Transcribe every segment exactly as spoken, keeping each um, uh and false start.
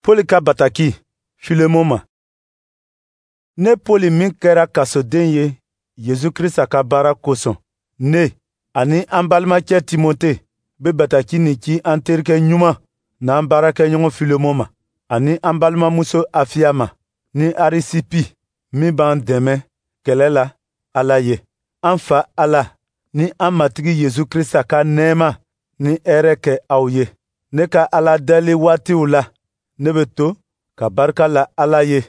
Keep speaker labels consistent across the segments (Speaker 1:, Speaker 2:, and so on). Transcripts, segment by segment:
Speaker 1: Pɔli ka bataki Filemon ma. Ne Pɔli min kɛra kasoden ye Yesu Krista ka baara kosɔn, ne ani an balimacɛ Timote be bataki nin ci an terikɛ ɲuman n'an baarakɛɲɔgɔn Filemon ma, ani an balimamuso Afiya ma, ni Arisipi min b'an dɛmɛ kɛlɛ la Ala ye. An Fa Ala ni an Matigi Yesu Krista ka nɛɛma ni hɛrɛ kɛ aw ye. Ne ka Ala deli waatiw la, ne bɛ to ka barika la Ala ye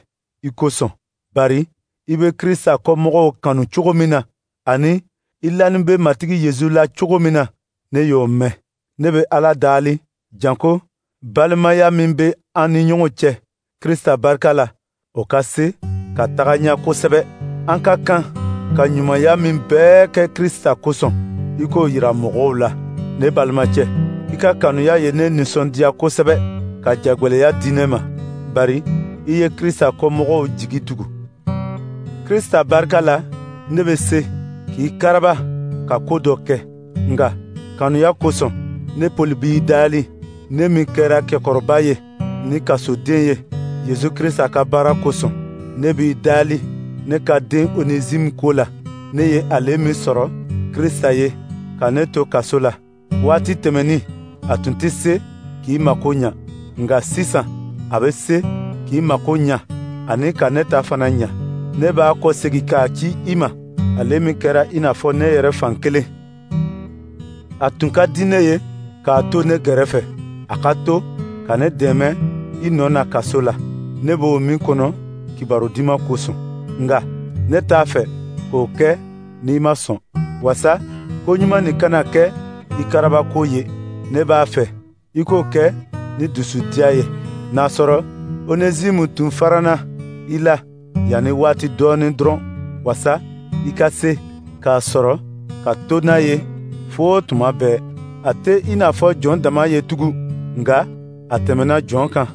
Speaker 1: i kosɔn, bari i bɛ Krista kɔmɔgɔw kanu cogo min na, ani i lanin bɛ Matigi Yesu la cogo min na, ne y'o mɛn. Ne bɛ Ala dali, janko balimaya min bɛ an ni ɲɔgɔn cɛ Krista barika la, o ka se ka taga ɲɛ kosɛbɛ. An ka kan ka ɲumanya min bɛɛ kɛ Krista kosɔn, i k'o yira mɔgɔw la. Ne balimacɛ, i ka kanuya ye ne nisɔndiya kosɛbɛ ka jagwɛlɛya di ne ma, bari i ye Krista kɔmɔgɔw jigi tugu. Krista barika la, ne bɛ se k'i karaba ka ko dɔ kɛ, nka kanuya kosɔn, ne Pɔli b'i dali, ne min kɛra kɛkɔrɔba ye ni kasoden ye Yesu Krista ka baara kosɔn. Ne b'i dali ne ka den Onezime ko la, ne ye ale min sɔrɔ Krista ye ka ne to kaso la. Waati tɛmɛnin, a tun tɛ se k'i mako ɲa, nka sisan a bɛ se k'i mako ɲa ani ka ne ta fana ɲa. Ne b'a kɔsegin k'a ci i ma, ale min kɛra i n'a fɔ ne yɛrɛ fan kelen. A tun ka di ne ye k'a to ne gɛrɛfɛ, a ka to ka ne dɛmɛ i nɔ na kaso la, ne b'o min kɔnɔ kibaru diman kosɔn. Nka ne t'a fɛ k'o kɛ n'i ma sɔn, wasa ko ɲuman nin kana kɛ i karabako ye. Ne b'a fɛ i k'o kɛ ni dusudiya ye, n'a sɔrɔ Onezimu tun farana i la yanni waati dɔɔnin dɔrɔn, wasa i ka se k'a sɔrɔ ka to n'a ye fo tuma bɛɛ. A tɛ i n'a fɔ jɔn dama ye tugun, nka a tɛmɛna jɔn kan.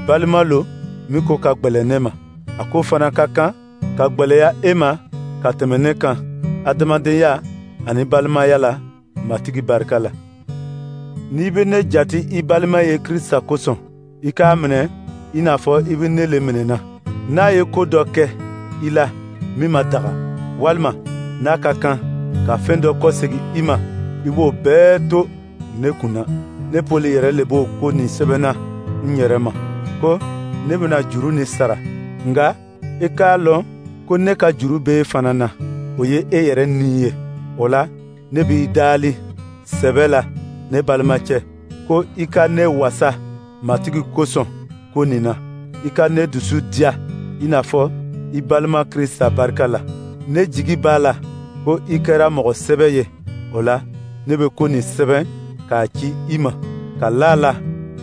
Speaker 1: Balima lo min ko ka gwɛlɛn ne ma. A ko fana ka kan ka gwɛlɛya e ma ka tɛmɛ ne kan adamadenya ani balimaya la Matigi barika la. N'i bɛ ne jate i balima ye Krista kosɔn, i k'a minɛ i n'a fɔ i bɛ ne le minɛna. N'a ye ko dɔ kɛ i la min ma daga, walima n'a ka kan ka fɛn dɔ kɔsegin i ma, i b'o bɛɛ to ne kun na. Ne Pɔli yɛrɛ le b'o ko nin sɛbɛnna n yɛrɛ ma, ko ne bɛna juru nin sara. Nka i k'a lɔn ko ne ka juru b'e e fana na, o ye e yɛrɛ ni ye. O la, ne b'i dali sɛbɛ la, ne balimacɛ, ko i ka ne wasa Matigi kosɔn ko nin na. I ka ne dusu diya i n'a fɔ i balima Krista barika la. Ne jigi b'a la ko i kɛra mɔgɔ sɛbɛ ye. O la, ne bɛ ko nin sɛbɛn k'a ci i ma, ka la a la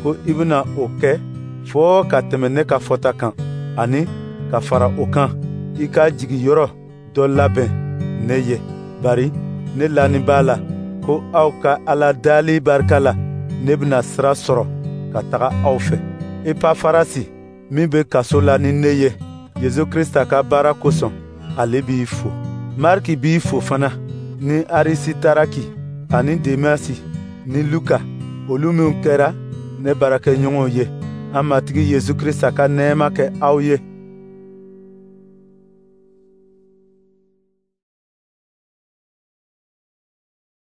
Speaker 1: ko i bɛna o kɛ fɔɔ ka tɛmɛ ne ka fɔta kan, ani ka fara o kan, i ka jigiyɔrɔ dɔ labɛn ne ye, bari ne lanin b'a la ko aw ka Ala dali barika la, ne bɛna sira sɔrɔ ka taga aw fɛ. Epafarasi min bɛ kaso la ni ne ye Yesu Krista ka baara kosɔn, ale b'i fo. Mariki b'i fo fana, ni Arisitaraki ani Demasi ni Luka, olu minw kɛra ne baarakɛɲɔgɔnw ye. An Matigi Yesu Krista ka nɛɛma kɛ aw ye.